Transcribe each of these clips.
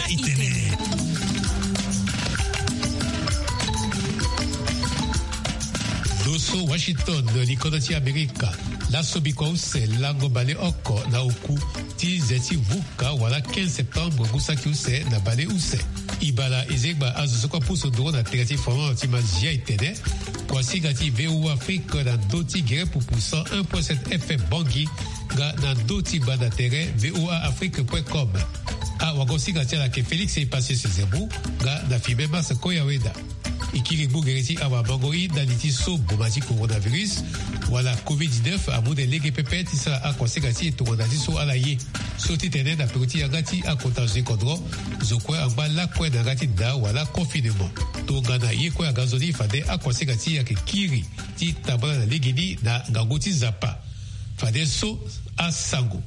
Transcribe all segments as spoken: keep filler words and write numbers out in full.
Internet. Lo so Washington, likodro ti Amerika. Laso bikua use lango baleoko na oku ti ze ti vuka wala quinze septembre ngu saki use na baleuse. Ibala ezegba azo so kue apusu nduru na tere ti fondement ti Mazia etene. Kuasinga ti V O A Afrique na ndö ti gere pupu cent un point sept F M Bangui, nga na ndö ti banda tere V O A Afrique point com. Awagosinga ti ala ayeke Félix Epacius Zemou, nga na filme Mars Koyaweda. E kiri gbu gere ti awamango-i ndali ti so boma ti coronavirus wala covid dix-neuf amu nde lege pepe ti sara akuasinga ti e tongana ti so ala ye. So ti tene na peko ti yanga ti akota zo ti kodro, zo kue angba lakue na yanga ti nda wala confinement. Tongana ye kue aga nzoni fade akuasinga ti e ayeke kiri ti tambala na legeni na ngangu ti Nzapa. Fade so asango.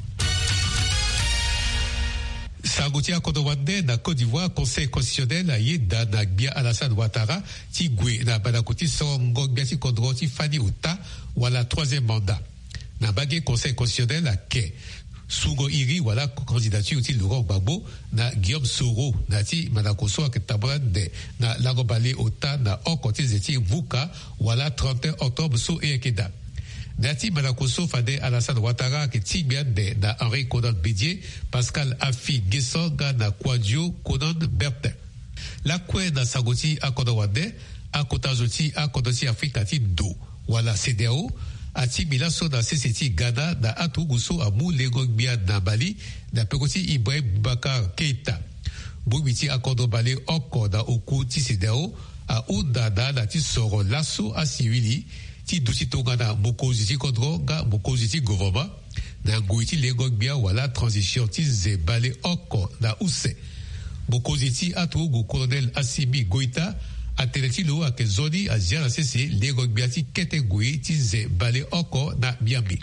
Sango ti akodro wande na Côte d'Ivoire, Conseil constitutionnel ayeda na gbia Alassane Ouattara ti gue na mandako ti sorongo gbia ti kodro ti fani ota wala troisième mandat. Na mbage Conseil constitutionnel ayeke sungo iri wala candidature ti Laurent Gbagbo na Guillaume Soro na ya ti mandako so ayeke tambula ande na lango baleota na oko ti ze ti vuka wala trente et un octobre so e yeke daa. Na ya ti mandako so fade Alassane Ouattara ayeke tingbi ande na Henri Konan Bédié, Pascal Affi N'Guessan nga na Kouadio Konan Bertin. Lakue na sango ti akodro wande, akota zo ti akodro ti Afrika ti ndo wala CEDEAO atingbi laso na sese ti Ghana na aturugu so amu lengo-gbia na Mali na peko ti Ibrahim Boubacar Keita. Bongbi ti akodro baleoko na oku ti CEDEAO ahunda na ala ti soro laso asiwili ti duti tongana mokonzi ti kodro nga mokonzi ti govoroma na ngoi ti lengo-gbia wala transition ti ze baleoko na use. Mokonzi ti aturugu Colonel Assimi Goïta atene ti lo ayeke nzoni azia na sese lengo-gbia ti kete ngoi ti ze baleoko na miambe.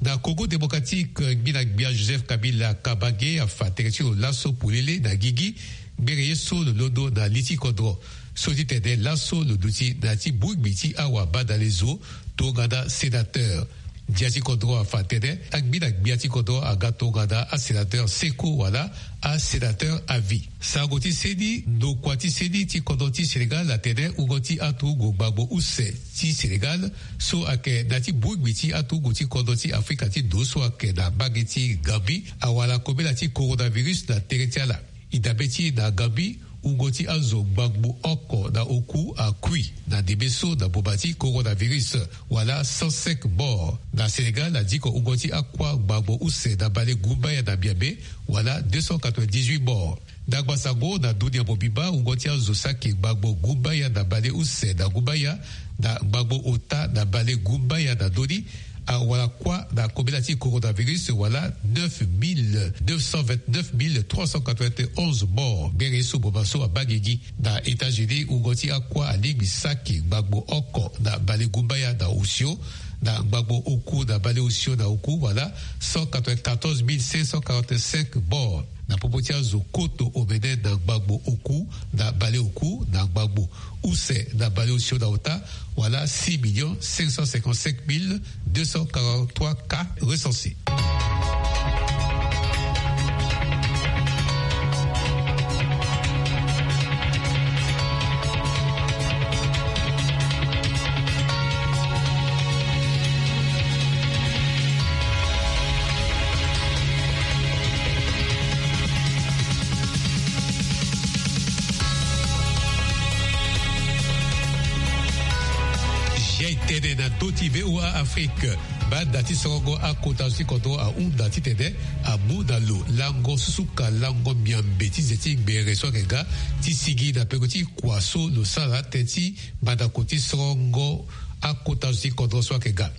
Na Congo démocratique, ngbina-gbia Joseph Kabila Kabange afa tere ti lo laso polele na gigi ngbere ye so lo londo na li ti kodro. So ti tene laso lo duti na ya ti bongbi ti awabadalezo tongana sénateur. Ndia ti kodro afa atene angbina-gbia ti kodro aga tongana asénateur seko wala asénateur à vie. Sango ti seni, ndokua ti seni ti kodro ti Sénégal atene wungo ti aturugu gbagbo use ti Sénégal so ayeke na ya ti bongbi ti aturugu ti kodro ti Afrika ti ndo so ayeke na mbage ti Gambie awara kobela ti coronavirus na tere ti ala. E dabe ti e na Gambie, wungo ti azo ngbangbo oko na oku akui na ndembe so na boma ti coronavirus, wala cent cinq morts. Na Sénégal, adiko wungo ti akuâ ngbangbo use na bale gumbaya na miambe, wala deux cent quatre-vingt-dix-huit morts. Ndangba sango na dunia mobimba, wungo ti azo saki ngbangbo gumbaya na bale use na gumbaya na ngbangbo ota na bale gumbaya na ndö ni awara kuâ na kobela ti coronavirus, wala neuf mille neuf cent vingt-neuf mille trois cent quatre-vingt-onze morts. Ngbere ye so boma so abaa gigi. Na États-Unis, wungo ti akuâ alingbi saki ngbangbo oko na bale gumbaya na osio, na ngbangbo oku na bale osio na oku, wala cent quatre-vingt-quatorze mille cinq cent quarante-cinq morts. Na popo ti azo koto omene na ngbangbo oku na bale oku na ngbangbo use na bale osio na ota, wala six millions cinq cent cinquante-cinq mille deux cent quarante-trois cas recensés. Jai tene na ndö ti V O A Afrique. Banda ti sorongo akota zo ti kodro ahunda titene amu na lo lango susuka lango miambe ti ze ti gbere so ayeke ga ti sigi na peko ti kua so lo sara tënë ti mandako ti sorongo akota zo ti kodro so ayeke ga.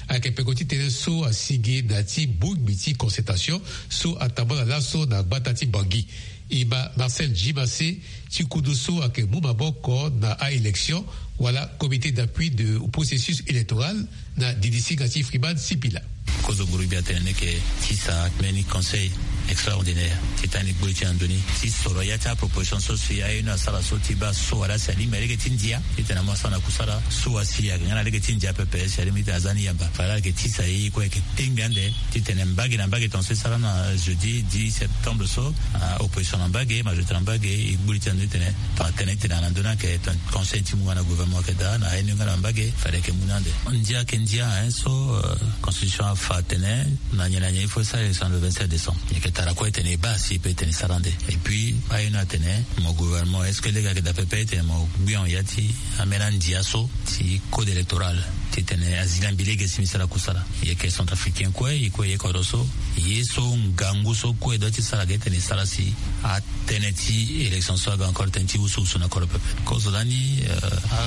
Ayeke peko ti tënë so asigi na ya ti bongbi ti concertation so atambula laso na gbata ti Bangui. E ma Marcel Djimassé ti kundu so ayeke mu maboko na a-élection wala comité d'appui de processus électoral na didi singa ti Freeman Sipila. Kozo gurubia tene leke ti sa mbeni conseil extraordinaire ti tani gboi ti na ndoni ti soro ya ti aproposition so si aye ni asara so ti baa so wala si alingbi alege ti ndia titene amu asara na kusala so asi ayeke nga na lege ti ndia pepe si alingbi titene aza ni yamba fade aleke tisa ye ye kue ayeke tengbi ande titene mbage na mbage tongaso e sara na jeudi dix septembre so, opposition na mbage majorité na mbage e gbuli ti na ndoni titene tongana tene titene na ndoni ayeke conseil ti mu nga na gouvernement ayeke daa na aye ni nga na mbage fade ayeke mu ni ande. Ndia ayeke ndia so constitution afa atene na nyen na nyen il faut e sara élection le vingt-sept décembre. E yeke tara kue tene e baa si e pe tene e sara ande. Et puis aye ni atene mo gouvernement est-ce que lege ayeke daa pepe titene mo gbia ya ti ambeni andia so ti code électoral titene azi lingbi lege si mbi sara kusala. E yeke centrafricain kue e kue e ye kodro so ye so ngangu so kue e doit ti sara ge titene e sara si atene ti élection so aga encore tënë ti wusuwusu na kodro pepe. Kozo lani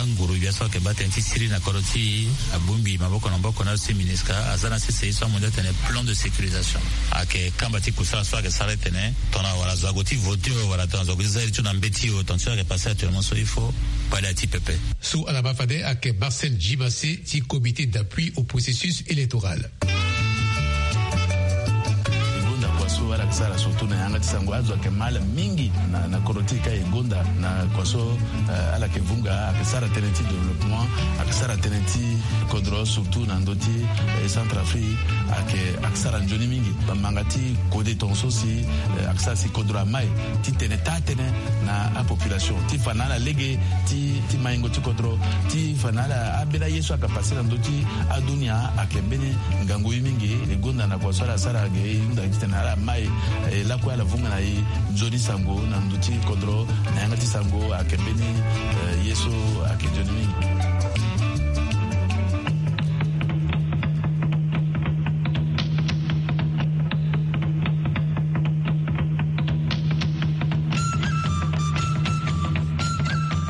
anguru gbia so ayeke baa tënë ti siriri na kodro ti e abongbi maboko na maboko na azo ti MINUSCA aza na sese ye so amondia atene plan de sécurisation ayeke kamba ti kusala so ayeke sara titene tongana wala zo ague ti vote o wala tongana zo ague ti za iri ti lo na mbeti o tongana so ayeke passé actuellement so il faut kpale ya ti pepe. So ala ma fade ayeke Marcel Djimassé ti comité d'appui au processus électoral. E gonda kua so ala yeke sara surtout na yanga ti sango azo ayeke ma ala mingi na kodro ti e ka e gonda na kua so ala yeke vunga ayeke sara tënë ti développement ayeke sara tënë ti kodro surtout na ndö ti Centrafrique ayeke ayeke sara nzoni mingi. Bamanga ti kode tongaso si ayeke sara si kodro amai ti tene taa tënë na apopulation ti fa na ala lege ti maingo ti kodro ti fa na ala ambeni aye so ayeke passé na ndö ti adunia ayeke mbeni ngangu ye mingi. E gonda na kua so ala sara ge e hunda titene ala mai lakue ala vunga na e nzoni sango na ndö ti kodro na yanga ti sango ayeke mbeni ye so ayeke nzoni mingi.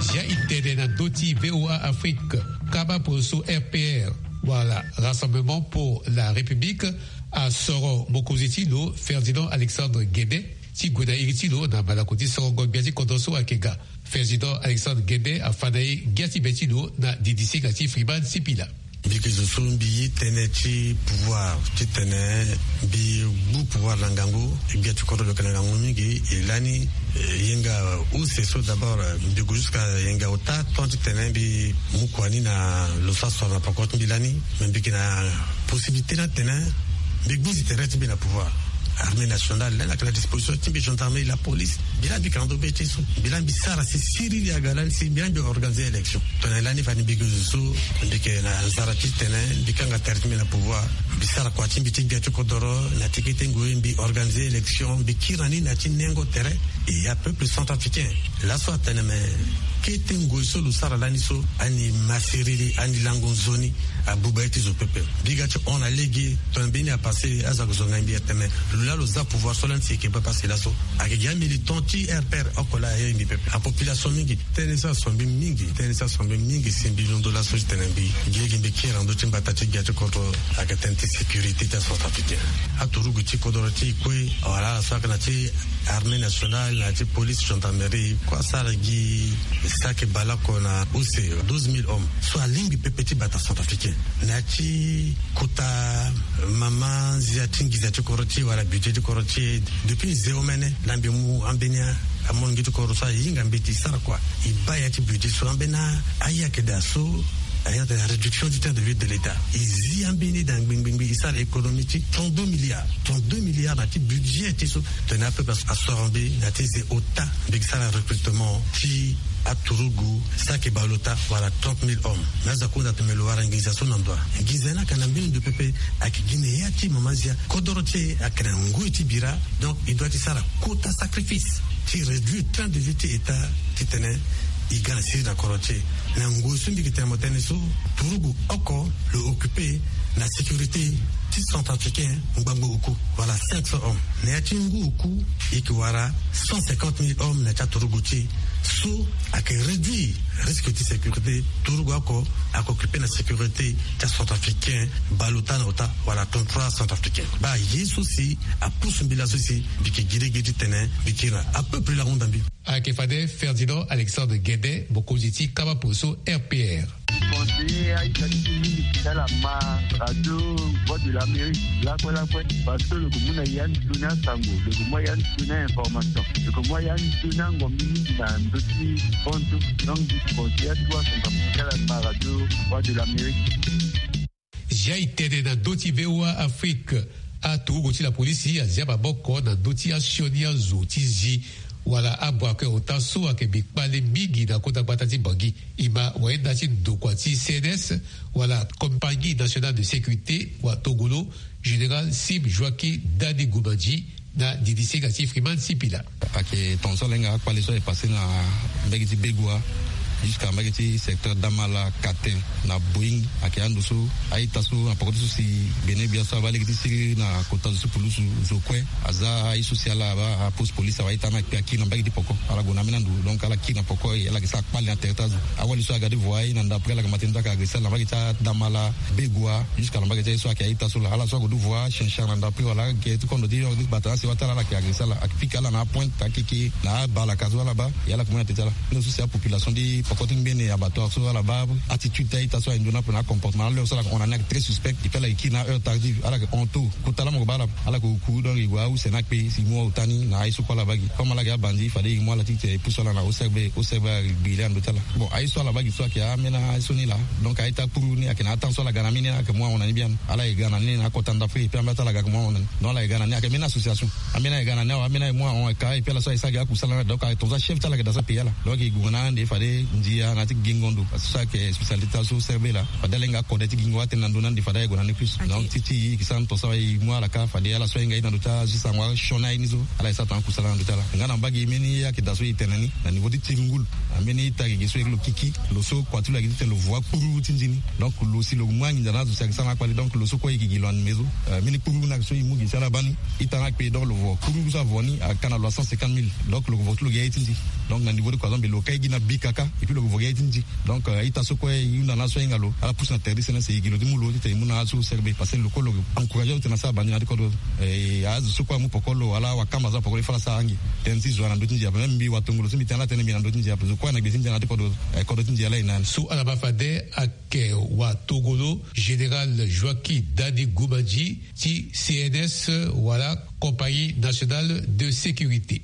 Zia e tene na ndö ti VOA Afrique kaba poso RPR wala Rassemblement pour la République asoro mokonzi ti lo Ferdinand Alexandre Guédé ti gue na iri ti lo na malako ti sorongo gbia ti kodro so ayeke ga. Ferdinand Alexandre Guédé afa na e ngia ti be ti lo na didisinga ti Freeman Sipila. Mbi yeke zo so mbi ye tënë ti pouvoir titene mbi gbu pouvoir na ngangu. Gbia ti kodro lo yeke na ngangu mingi. E lani yenga use so d'abord mbi gue jusqu'à yenga ota tant titene mbi mu kua ni na lo so asoro na poko ti mbi lani. Mais mbi yeke na possibilité ni atene mbi gbuzi tere ti mbi na pouvoir. Armée nationale lani ayeke na disposition ti mbi, gendarmerie, la police. Mbi laa mbi yeke na ndo be ti so mbi laa mbi sara si siriri aga lani si mbi laa mbi organiser élection. Tongana lani fani mbi yeke zo so mbi yeke na nzara titene mbi kanga tere ti mbi na pouvoir. Mbi sara kua ti mbi ti gbia ti kodoro na ti kete ngoi mbi organiser élection mbi kiri na ni na ti nengo tere. E ya peuple centrafricain laso atene me kete ngoi so lo sara lani so ani ma siriri ani lango nzoni. Abuba ye ti zo pepe. Mbi ga ti hon na lege tongana mbeni apassé azo ayeke zonga mbi atene lo laa lo za pouvoir so lani si e yeke baa passe laso. Ayeke gi amilitant ti RPR oko laa aye mbi pepe apopulation mingi. Tënë so aso mbi mingi tënë so aso mbi mingi si mbi londo laso ti tene mbi gi lege mbi kiri na ndö ti mbata ti gbia ti kodro. Ayeke tënë ti sécurité ti acentrafricain. Aturugu ti kodoro ti e kue wala ala so ayeke na ti armée nationale na ya ti police gendarmerie kue asara gi saki baleoko na use douze mille hommes so alingbi pepe ti bata centrafricain. Na ya ti kota mama nzia ti nginza ti kodro ti e wala budget ti kodro ti e. Depuis nze omene laa mbi mu ambeni amolenge ti kodro so ahinga mbeti e sara kua e baa ya ti budget so ambeni aye ayeke daa so. Aye atene réduction du temps de vie de l'état e zi ambeni daa ngbingbingbi e sara économie ti trente-deux milliards. Trente-deux milliards na ti budget ti so. Tongana apeuple asoro mbi na ti ze ota mbi yeke sara recrutement ti aturugu saki baleota wala trente mille hommes. Mais azo akunda tene me lo wara nginza so na ndo wa nginza ni ayeke na mbeni ndo pepe. Ayeke gi na ya ti mama nzia kodoro ti e ayeke na ngoi ti bira. Donc e doit ti sara kota sacrifice ti réduire train de vie ti état titene e ga na siriri na kodro ti e. Na ngoi so mbi yeke tene mo tënë so turugu oko lo occupé na sécurité ti centrafricain ngbangbo oku wala cinq cents hommes. Na ya ti ngu oku e yeke wara cent cinquante mille hommes na ya ti aturugu ti e so ayeke réduire risque ti sécurité. Turugu oko ayeke occupé na sécurité ti acentrafricain baleota na ota wala trente-trois centrafricain. Baa ye so si apusu mbi laso si mbi yeke gi lege titene mbi kiri na apeuple la hunda mbi. Ayeke fade Ferdinand Alexandre Guédé mokonzi ti kaba poso RPR. Conseiller aita ti mingi ti ala ma radio Voix de l'Amérique lakue lakue, parce que lo ko mu na ya ni toni asango, lo ko mu ya ni toni a-information, lo ko mu ya ni toni angombi mingi na ndö ti konzo. Donc, conseiller atuwa asango ti ala ma radio Voix de l'Amérique. Zia e tene na ndö ti V O A Afrique. Aturugu ti la polisi azia maboko na ndö ti asioni azo ti zi wala abwakue ota so ayeke bi kpale mingi na kota gbata ti Bangui. E ma wayenda ti ndokua ti C N S wala Compagnie Nationale de Sécurité wa tongolo, Général Sim Joaquim Dani Gumandji, na didi senga ti Freeman Sipila. Ayeke tongaso ala hinga akpale so aye passé na mbage ti Begoua jusqu'à mbage ti secteur Damala, Katin, na Boeing. Ayeke ando so a-ita so na poko ti so si Bénin gbia so abaa lege ti siriri na kota zo so pulusu zo kue. Aza aye so si ala abaa apose police awa a-ita ni akpe akiri na mbage ti poko. Ala gue na ambeni ando, donc ala kiri na poko e ala yeke sara kpale na tere ti azo. Awali so aga ti voi na ndapre ala ga ma tene ti ayeke agressé ala na mbage ti Damala, Begoua, jusqu'à na mbage ti aye so ayeke a-ita so laa. Ala so ague ti voi shanshar na ndapre wala ayeke ti kondo ti yo ti bata na sewa ti ala, ala yeke agressé ala, ayeke pika ala na apointe, akeke na abalaka so ala baa. E ala yeke mu na tete ti ala. Ni so si apopulation ti poko ti ngbene abattoir so ala baa attitude ti a-ita so aye nzoni ape na acomportement. Aleur so ala yeke hon na ni ayeke très suspect. Et puis ala yeke kiri na heure tardive, ala yeke hon tôt. Kota laa mo yeke baa ala, ala yeke kuru, donc e gue ause ni akpe si e mu aota ni na aye so kue ala baa gi. Comme ala yeke abandi, fade e mu ala ti tene e pusu ala na O C R B, O C R B agbi le na ndö ti ala. Bon, aye so ala baa gi so ayeke ambeni aye so ni laa. Donc a-ita kpuru ni ayeke na atemps so ala ga na ambeni ni, ala yeke mu ahon na ni biani. Ala yeke ga na ni na akota ndapre, et puis ambeni aye ti ala ga ayeke mu ahon na ni. Donc ala yeke ga na ni, ayeke mbeni association. Ambeni aye ga na ni awe, ambeni aye mu ahon, ayeke ka, et puis ala so aye sara gi akusala na, donc ayeke tongaso achef ti ala ayeke dans sa pays ala. Donc e gue na ande fade ndia na ti gingo ndo. Parce que so ayeke spécialité ti ala so O C R B laa. Fade ala hinga akode ti gingo atene na ndo na ande fade aye gue na ni plus. Donc ti ti e yeke sara na tongaso awe e mu ala ka, fade ala so ahinga aye na ndo ti ala so e sara ngu asioni aye ni so, ala yeke sara tongana akusala na ndo ti ala. Nga na mbage mbeni ye ayeke daa so e tene ni na niveau ti tiri ngulu. Ambeni ita gigi so e yeke lo kiki, lo so kua ti lo ayeke ti tene lo voa kpuru ti nzi ni. Donc lo si lo mu anginza na azo si ayeke sara na akpale, donc lo so kue e gigi lo animé so. Euh, mbeni kpuru ni ayeke so e mu gi si ala baa ni. Ita ni akpe, donc lo vo kpuru so avo ni ayeke ka na lo a cent cinquante mille. Donc lo vo ti lo gi aye ti nzi. Donc na niveau ti kua so mbi lo ka e gi na bika kâ, et puis lo vo gi aye ti nzi. Donc euh, ita so kue e hunda na aso ahinga lo, ala pusu na tere ti C N S e gi lo ti mu lo ti tene e mu na aso O C R B, parce que lo kue lo encouragé lo ti tene asara bandi na ya ti kodro. Eh, azo so kue amu poko lo wala awakamba so na poko lo, e fa ala sara ange. Tënë ti zo na ndö ti ndia ape, même mbi watongolo so mbi tene ala tënë mbi na ndö ti ndia ape, zo kue na gbe ti ndia na ya ti kodro. Eh, kodro ti ndia laa e na ni. So ala baa fade ayeke watongolo Général Joaquim Dani Gumandji ti C N S wala Compagnie Nationale de Sécurité.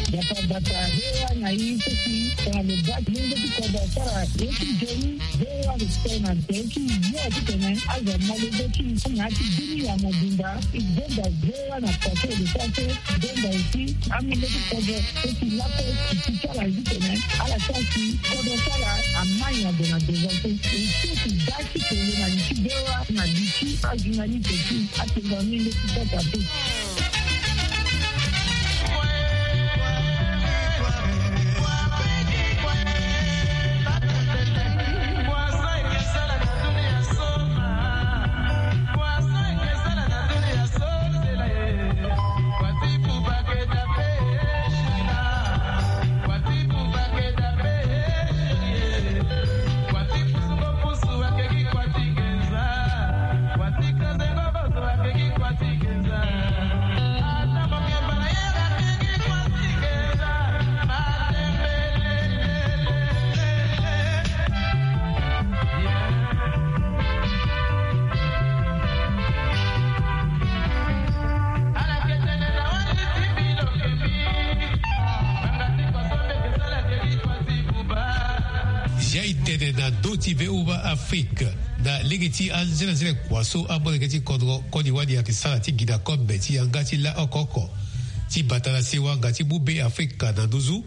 Bata bata, V O A na i so si tongana lo baa ti lenge ti kodro asara ye ti nzoni, V O A respect na tere ti yo ti tene azo amolenge ti i na ya ti bini ya mobimba. I zonza V O A na kua so e lo sara so, i zonza aussi amolenge ti kodro so si lakue ti ti ti ala ye ti tene ala sara si kodro ti ala amai na gue na devant so. E so si baa ti tene na li ti V O A na li ti ajournaliste ti atengo amolenge ti kota pe. Zia e tene na ndö ti V O A Afrique. Na lege ti anzenanzene kua so amolenge ti kodro koni wani ayeke sara ti gi na kombe ti yanga ti la oko oko ti bata na sewa nga ti mu Be Afrika na nduzu.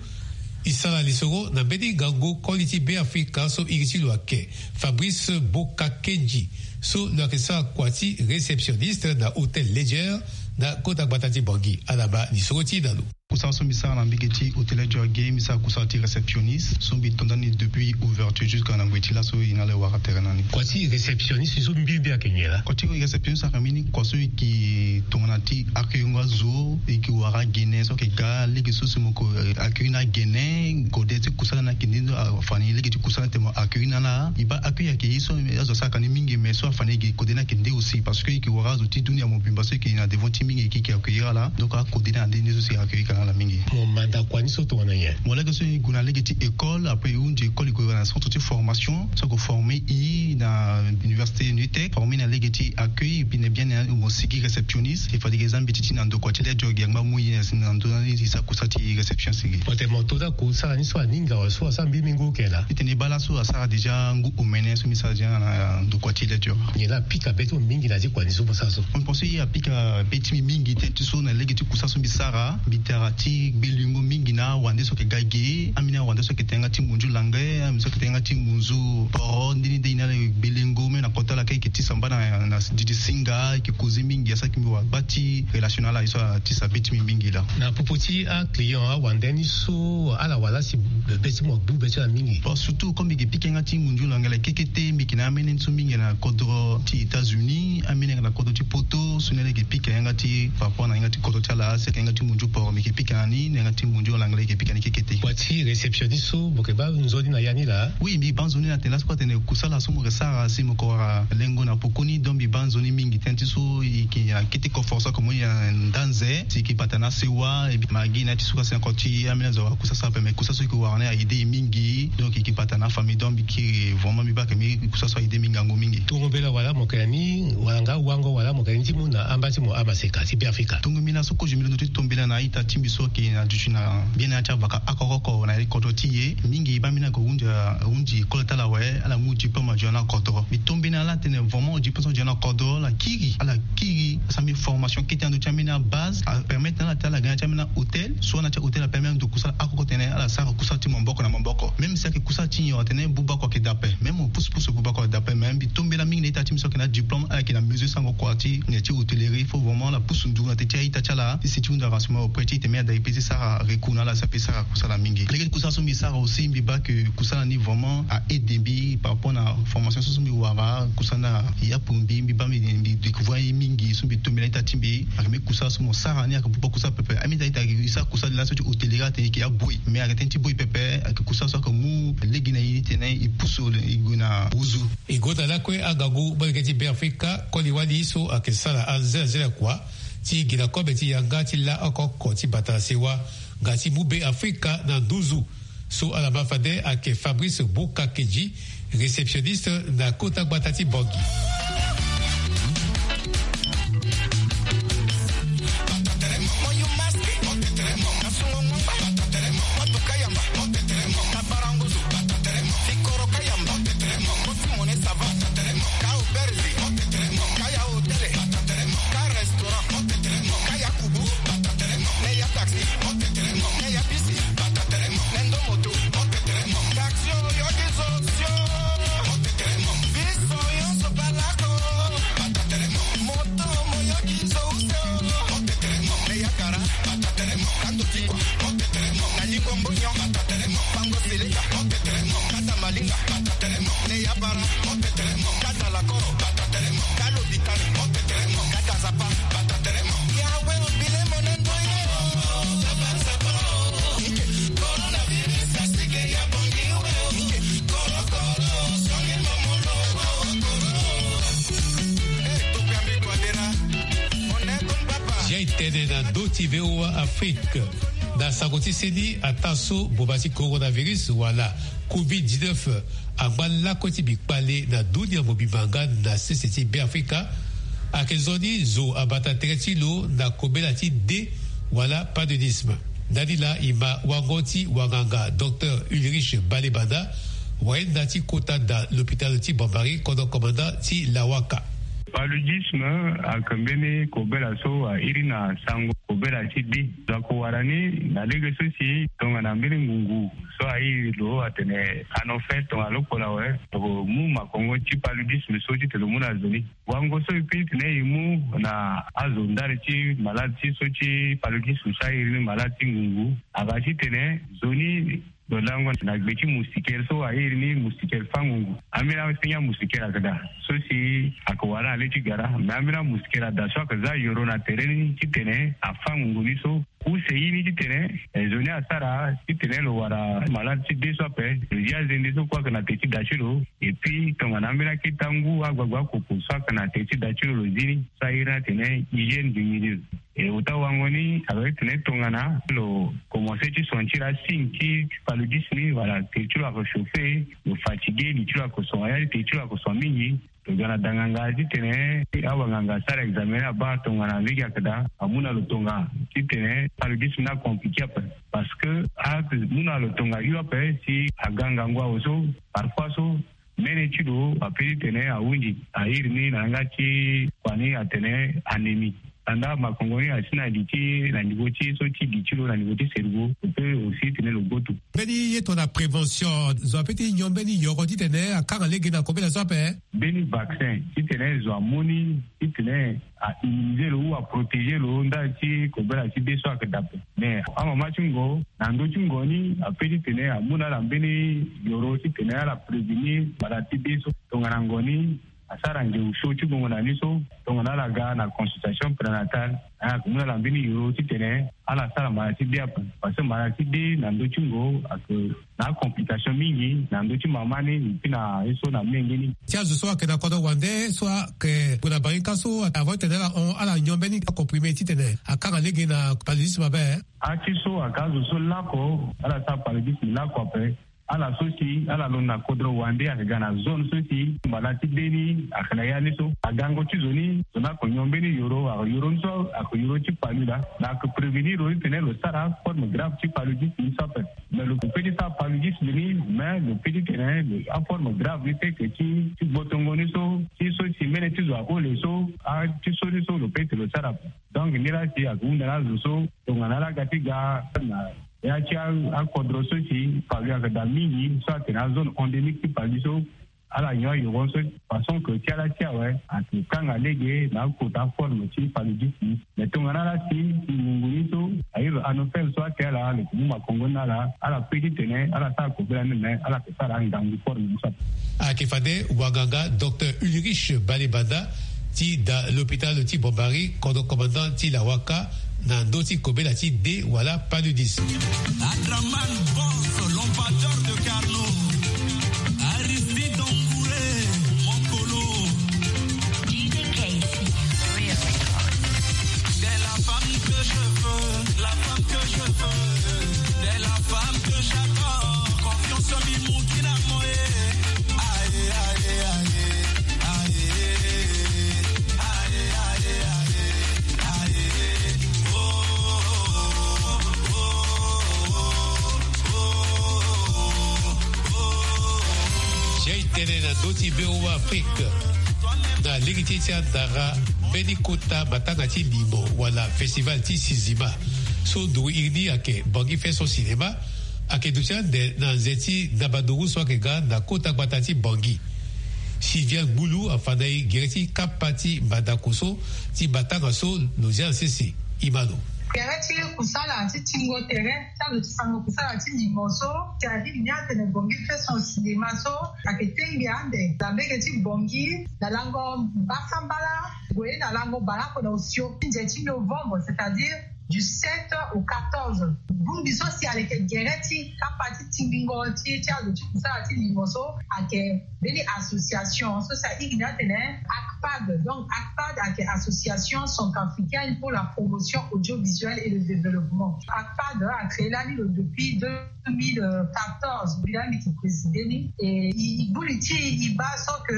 E sara lisoro na mbeni ngangu koli ti Be Afrika so iri ti lo ayeke Fabrice Bokakedji, so lo yeke sara kua ti réceptionniste na Hôtel Ledger na kota gbata ti Bangui. Ala baa lisoro ti e na lo. Kusala so mbi sara na mbage ti Hôtel Ledger ge, mbi sara kusala ti réceptionniste so mbi to ndani depuis ouverture jusqu'à na ngoi ti laso e na ala e wara tere na ni. Kua ti réceptionniste so mbirimbiri ayeke nyen laa? Kua ti réceptionniste ayeke mbeni kua so e yeke tongana ti accueillir azo, e yeke wara gene so ayeke ga lege so si mo yeke accueillir na gene. Kode ti kusala ni ayeke nde, afa ni lege ti kusala ni tene mo accueillir na ala. E baa accueillir ayeke ye so azo asara ka ni mingi, mais so afa ni e gi kode ni ayeke nde aussi, parce que e yeke wara azo ti dunia mobimba so e yeke na devant ti mingi e yeke accueillir ala. Donc akode ni ande nde so si accueillir ka na Ala mingi. Mo manda kua ni so tongana nyen? Mo lege so e gue na lege ti école, après e hunzi école, e gue na centre ti formation so e forme e na université Nutec, forme na lege ti accueil, e bi na bien na mo sigi réceptionniste. E fade ge za mbi ti ti na ndokua ti le diogi angba mu ye na ndö ni e sara kusa ti réception sigi. Mo tene mo to da kusala ni so aninga wala so asara mbi mingi oke laa? E tene baa laso asara déjà ngu omene so mbi sara déjà na ndokua ti le diogi. Nyen laa apika be ti mo mingi na ya ti kua ni so mo sara so? Mo pense e apika be ti mbi mingi tënë ti so na lege ti kusa so mbi sara, mbi tara ti gbelengo mingi na awande so ayeke ga ge, ambeni awande so ayeke tene yanga ti munzu langue, ambeni so ayeke tene yanga ti munzu poro, ndeni nde e na ala gbelengo même na kota ala kâ e yeke ti samba na, na didi singa, e yeke causer mingi, asara ti mbi wara gba ti relation na ala, ye so atisa be ti mbi mingi laa. Na popo ti aclient awande ni so, ala wara si be ti mo agbu be ti ala mingi? Bon, surtout comme mbi yeke pika yanga ti munzu langue kekete, mbi yeke na amene ni so mingi na kodro ti États-Unis, amene na kodro ti Poto, so ni ala yeke pika yanga ti par rapport na yanga ti kodro ti ala, si ayeke yanga ti munzu poro mbi yeke pika na ni, na yanga ti munzu langue mbi yeke pika ni kekete. Kua ti réception ni so mo yeke baa nzoni na ya ni laa? Oui, mbi baa nzoni na tene laso kue atene kusala so mo yeke sara si mo yeke wara lengo na pokoni, donc mbi baa nzoni mingi tënë ti so e yeke na kete koforo so ayeke mu e na ndanze, si e yeke bata na asewa, e bi magi na ya ti so kue asi na koti ambeni azo awara kusa so ape, mais kusa so e yeke wara ni a-aidé e mingi, donc e yeke bata na afamille, donc mbi kiri vraiment mbi baa ayeke mbi kusa so a-aidé mbi ngangu mingi. Tongo mbela wala mo yeke na ni, wala nga wango wala mo yeke na ni ti mu na amba ti mo amaseka ti Beafrika? Tongo mbela so kozo mbi londo ti tombela na a-ita ti mbi so ayeke na duti na bien na ya ti avaka oko oko na ya ti kodro ti e. Mingi baa mbi ni ayeke hunzi, hunzi école ti ala awe, ala mu diplôme azo na kodro. Mbi tombela na ala atene vraiment diplôme so azo na kodro ala kiri, ala kiri asara mbi formation kete na ndö ti ambeni abase, apermettre na ala ti ala ga na ya ti ambeni ahôtel, so na ya ti ahôtel apermettre ando kusala oko oko tene ala sara kusala ti maboko na maboko. Même si ayeke kusala ti nyon atene buba oko ayeke daa ape, même mo pusu pusu buba oko ayeke daa ape, mais mbi tombela mingi na ita ti mbi so ayeke na diplôme, ala yeke na mesure sango kua ti nyen ti hôtellerie, il faut vraiment ala pusu nduru na teti a-ita ti ala ti si ti hunda renseignement auprès ti e tene mbi ada e peut ti sara recours na ala si ape sara kusala mingi. Lege ti kusala so mbi sara aussi mbi baa que kusala ni vraiment a-aidé mbi par rapport na formation so so mbi wara, kusala ni a-yapu mbi, mbi baa mbi, mbi découvrir aye mingi so mbi tombela ita ti mbi. Ayeke mbi kusala so mo sara ni ayeke buba kusala pepe. Ambeni ita, ita e sara kusala ni laso ti hôtellerie atene e yeke aboyi, mais ayeke tënë ti boyi pepe, ayeke kusala so ayeke mu lege na e ni tene e pusu e gue na nduzu. E gonda lakue angangu molenge ti Beafrika koli wali so ayeke sara anzelazela kua ti gi na kobe ti yanga ti la oko oko ti bata na sewa nga ti mu Beafrika na nduzu. So ala ma fade ayeke Fabrice Bukakedji, réceptionniste na kota gbata ti Bangui. Zia e tene na ndö ti V O A Afrique. Na sango ti seni, ataa so mboma ti coronavirus wala covid dix-neuf angba lakue ti mbi kpale na dunia mobimba nga na sese ti Beafrika, ayeke nzoni zo abata tere ti lo na kobela ti dé wala paludisme. Ndani laa e ma wango ti wanganga Docteur Ulrich Balebanda, wayenda ti kota da lopitalo ti Bambari, kodro komanda ti Lawaka. Paludisme ayeke mbeni kobela so a iri na sango kobela ti dé. Zo ayeke wara ni na lege so si tongana mbeni ngungu so a iri lo atene Anopheles tongana lo pola awe, lo mu makongo ti paludisme so titene lo mu na zo ni. Wango so e peut titene e mu na azo ndali ti malade ti so ti paludisme so a iri ni malade ti ngungu, aga titene zo ni lo lango na gbe ti moustiquaire so a iri ni moustiquaire fango ngu. Ambeni asengi amoustiquaire ayeke daa so si ayeke wara na le ti gara, me ambeni amoustiquaire ada so ayeke za yoro na tere ni titene afango ngu ni so. Use ye ni titene, eh, zo ni asara titene lo wara malade ti dé so ape. Lo zi azende so kue ayeke na te ti da ti lo. Et puis tongana ambeni akete angu, agbagba akoko so ayeke na te ti da ti lo, lo zi ni so a iri ni atene hygiène du milieu. E ota wango ni aloye tene tongana lo komanse ti son ti la signe ti paludisme ni wala te ti lo ako chauffer, lo fatigué li ti lo ako son ya li te ti lo ako son mingi. Lo ga na danganga titene awanganga asara examen ni abaa tongana lege ayeke daa amu na lo tonga titene paludisme ni acompliqué ape. Parce que amu na lo tonga hio ape si aga ngangu awe so parfois so mene ti lo ape titene ahunzi airi ni na yanga ti kua ni atene anémie. Anda makongo ni asi na li ti na niveau ti so ti li ti lo na niveau ti cerveau lo pe aussi tene lo goto. Mbeni ye tongana prévention zo ape ti nyon mbeni yoro titene akanga lege na kobela so ape. Mbeni vaccin titene zo amu ni titene a immuniser lo ou a protéger lo ndali ti kobela ti be so ayeke dape. Mais amama ti ngo na ndö ti ngo ni ape titene amu na ala mbeni yoro titene ala prévenir maladie ti be so tongana ngo ni asara nge osio ti gongo na ni so tongana ala ga na consultation prénatale. Ayeke mu na ala mbeni yoro titene ala sara maladie ti be ape. Parce que maladie ti be na ndö ti ngo ayeke na acomplication mingi na ndö ti mama ni et puis na ye so na menge ni. Ti azo so ayeke na kodro wande so ayeke gue na bangi ka so avant titene ala hon ala nyon mbeni acomprimé titene akanga lege na paludisme abe. Ati so aka azo so lako ala sara paludisme lako ape. Ala so si ala londo na kodro wande ayeke ga na zone so si mbala ti be ni ayeke na ya ni so agango ti zo ni zo ni ako nyon mbeni yoro ako yoro ni so ako yoro ti palu laa. Na ako prévenir lo titene lo sara forme grave ti paludisme ni so ape. Mais lo pe ti sara paludisme ni mais lo pe titene aforme grave ni seke ti ti gbotongo ni so ti so si mene ti zo ahole so ati so ni so lo pe ti lo sara ape. Donc ni laa si ako hunda na azo so tongana ala ga ti ga na ya ti akodro so si palu ayeke daa mingi so atene azone endémique ti palu so ala nyon ayoro so façon ke ti ala ti awe ayeke kanga lege na akota forme ti paludisme. Mais tongana ala si ngungu ni so airi anofel so ake ala lo yeke mu makongo ni na ala ala pe titene ala sara kobela ni me ala yeke sara angangu forme ni so ape. Ayeke fade wanganga docteur Ulrich Balebanda ti da l'hôpital ti Bambari kodro commandant ti Lawaka na ndö ti kobela ti de wala paludisme. Adraman Boss, l'ambassadeur de Carlo. Aristide Ongouré, mon colo. D J K C, Real Records. T'es la femme que je veux, la femme que je veux. T'es la femme que j'adore. Confiance en Mimoukina Moé. Aïe, aïe, aïe. Jai tene na ndö ti V O A Afrique. Na lege ti ti andara mbeni kota matanga ti limo wala festival ti sinzima so nduru iri ni ayeke Bangui Fest Cinéma. Ayeke duti ande na nze ti ndabanduru so ayeke ga na kota gbata ti Bangui. Sylvia Gbulu afa na e gere ti kapa ti mbandako so ti matanga so lo zia na sese. Imano. Gere ti kusala ti tingo tere ti azo ti sango kusala ti limo so ti alingbi ni atene Bangui Fest Cinéma so ayeke tengbi ande na mbege ti Bangui na lango mbasambala gue na lango baleoko na osio ti nze ti novembre, c'est-à-dire du sept au quatorze. Bongbi so si aleke gere ti kapa ti tingbingo ti ti azo ti kusala ti limo so ayeke mbeni association so si ahiri ni atene ACPAD. Donc ACPAD ayeke Association Centrafricaine pour la Promotion Audiovisuelle et le Développement. ACPAD acréé lani lo depuis deux mille quatorze, mbi lani mbi yeke présidé ni. E e gbu li ti e e baa so ke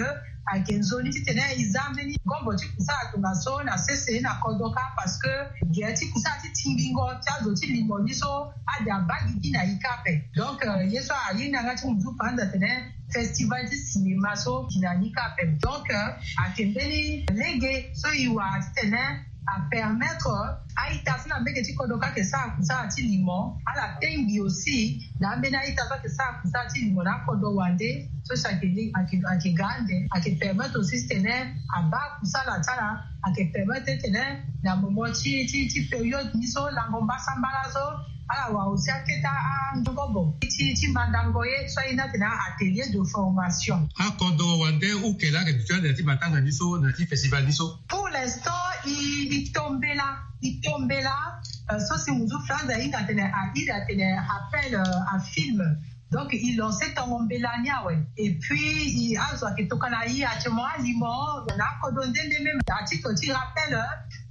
ayeke nzoni titene e za mbeni ngombo ti kusala tongaso na sese na kodro kâ, parce que gere ti kusala ti tingbingo ti azo ti limo ni so ade abaa gigi na e kâ ape. Donc ye so aye ni na yanga ti muzu panza atene festival ti cinéma so gi na ni kâ ape. Donc ayeke mbeni lege so e wara titene apermettre a-ita so na mbege ti kodro kâ ayeke sara kusala ti limo ala tengbi aussi na ambeni a-ita so ayeke sara kusala ti limo na akodro wande so si ayeke ga ande ayeke permettre aussi titene abaa kusala ti ala. Ayeke permettre titene na moment ti ti ti période ni so lango mbasambala so ala wara aussi akete angobo ti ti mandango ye so aye ni atene atelier de formation. Akodro wande uke laa ayeke duti ande na ti matanga ni so na ti festival ni so. Pour l'instant e e tombela e tombela so si muzu franz ahinga atene airi atene appel à film. Donc e lancer tongo mbela ni awe. Et puis e azo ayeke tokana e actuellement alimo na akodro nde nde même à titre ti rappel.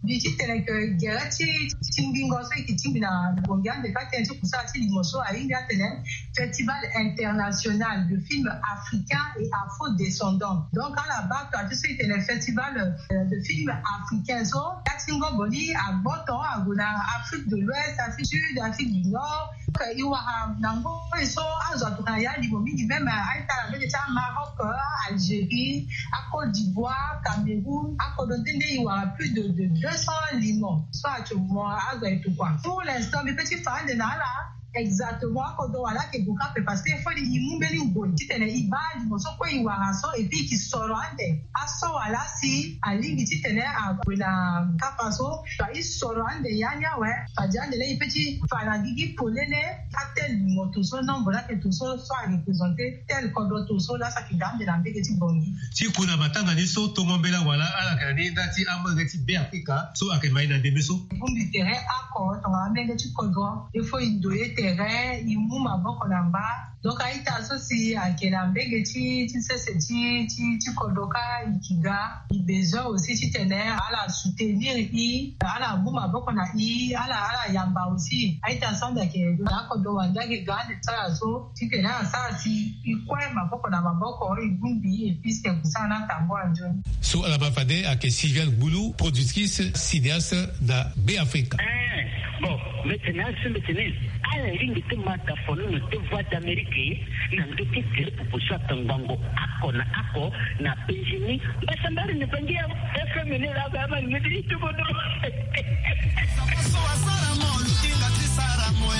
Mbi ti tene ke gere ti ti mbingo so e ke tingbi na bongi ande ka tene ti kusala ti limo so ahinga atene Festival international de films africains et afro-descendants. Donc ala baa taa ti so e tene festival de films africains so, ya ti ngobo ni agboto ague na Afrique de l'Ouest, Afrique du Sud, Afrique du Nord. E wara na ngoi so azo atokua na ya limo mingi, même a-ita na mbege ti Maroc, Algérie, a Côte d'Ivoire, Cameroun, akodro nde nde e wara plus de deux cents limo so atio mo azo aye tokua. Pour l'instant mbi pe ti fa ande na ala exactement akodro wala ake gue ka pe, parce que fo ni e mu mbeni ngoi ti tene e baa limo so kue e wara so, et puis e ke soro ande aso wala si alingbi ti tene ague na kapa so. Fa e soro ande ya ni awe, fade ande laa e pe ti fa na gigi polele. Atel limo to so, nombre laa ake to so so a représenter tel kodro to so laa sa ke ga ande na mbege ti bongi. Ti ku na matanga ni so tongo mbela wala ala yeke na ni nda ti amolenge ti Beafrika so ayeke mai na ndembe so. E bongbi tere oko tongana amolenge ti kodro, il faut e ndoye tere, e mu maboko na mba. Donc a-ita so si ayeke na mbege ti ti sese ti ti ti kodro ka e ke ga. E besoin aussi ti tene ala soutenir e, ala mu maboko na e, ala ala yamba aussi. A-ita so ande ayeke na akodro wande ayeke ga ande ti ala so ti tene ala sara si e kue maboko na maboko, e bongbi e, puisque kusala ni atango anzoni. So ala ma fade ayeke Sylviane Gboulou, productrice, cinéaste na Beafrika. Eh, bon, mbi tene asi mbi tene ala lingbi ti ma daa fonono ti Voix d'Amérique na ndö ti tere popo so atangbango oko na oko na penzi ni. Mbasambari ni bangi ya F M ni laa ba ma ni ti ti kodro. So asara mo lukinga ti sara mo e.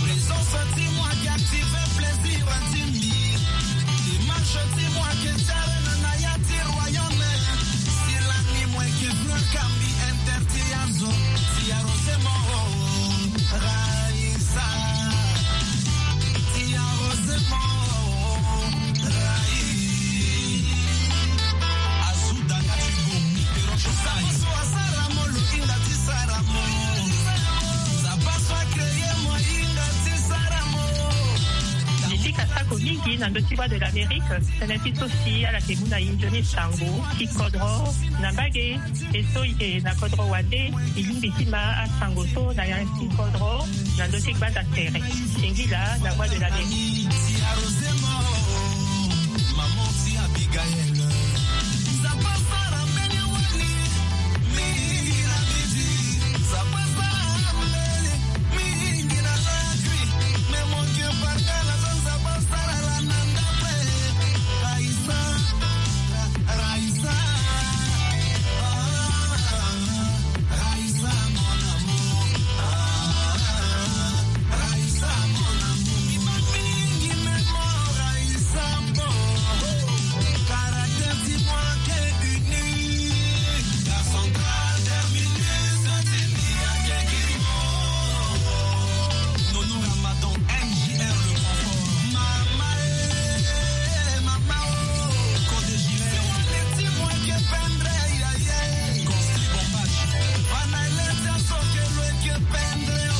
Présence ti mo ake active plaisir ti mbi. Image ti mo ake ti arena na ya ti royaume. Si lani mo eke fleur kambi interdit ya zo. Ti arrosé mo, Raïssa. Ti arrosé mo, Raïssa. Azuda nga ti bomi. Mbi sika sako mingi na ndö ti Voix de l'Amérique, tënë ti so si ala yeke mu na e nzoni sango ti kodro na mbage. E so e yeke na kodro wande, e lingbi ti ma asango so na ya ti kodro na ndö ti gbanda tere. Singila na Voix de l'Amérique.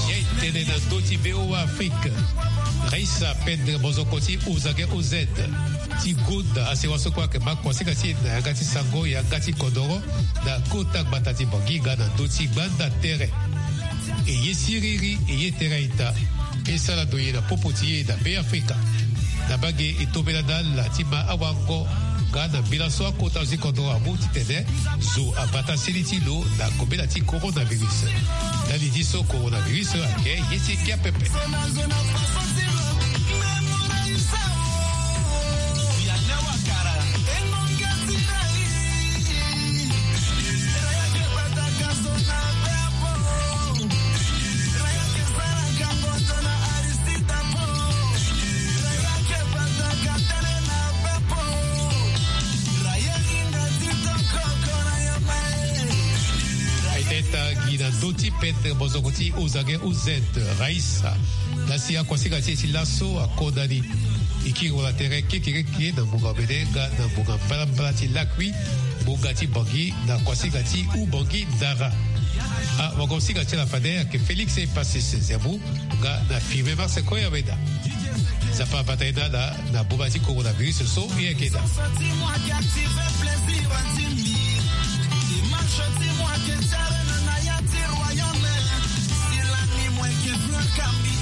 Ye tene na ndö ti V O A Afrique. Raïssa Pendre Mozokoti, Ozage O Z. Ti gonda asewa so kue ayeke ma kuasinga ti e na yanga ti sango, yanga ti kodoro, na kota gbata ti Bangi nga na ndö ti gbanda tere. E ye siriri, e ye tere a-ita. E sara ndoye na popo ti e na Beafrika. Na mbage e tombela na ala ti ma awango nga na mbela so akota zo ti kodro amu titene zo abata seni ti lo na kobela ti coronavirus. Ndali ti so coronavirus ayeke ye ti ngia pepe. Aita gi na ndö ti pendre mozoko ti Ozage O Z, Raïssa. Lasi akuasinga ti e ti laso akodani. E kiri wala tere kekereke na ngonga omene nga na ngonga mbalambala ti lakui, ngonga ti Bangi na kuasinga ti Oubangui Dara. Awagosinga ti ala fade ayeke Félix Passis Zerbo nga na Firmin Marseco Yaweda. Nzapa abata ye na ala na boma ti coronavirus so e yeke daa. Kambi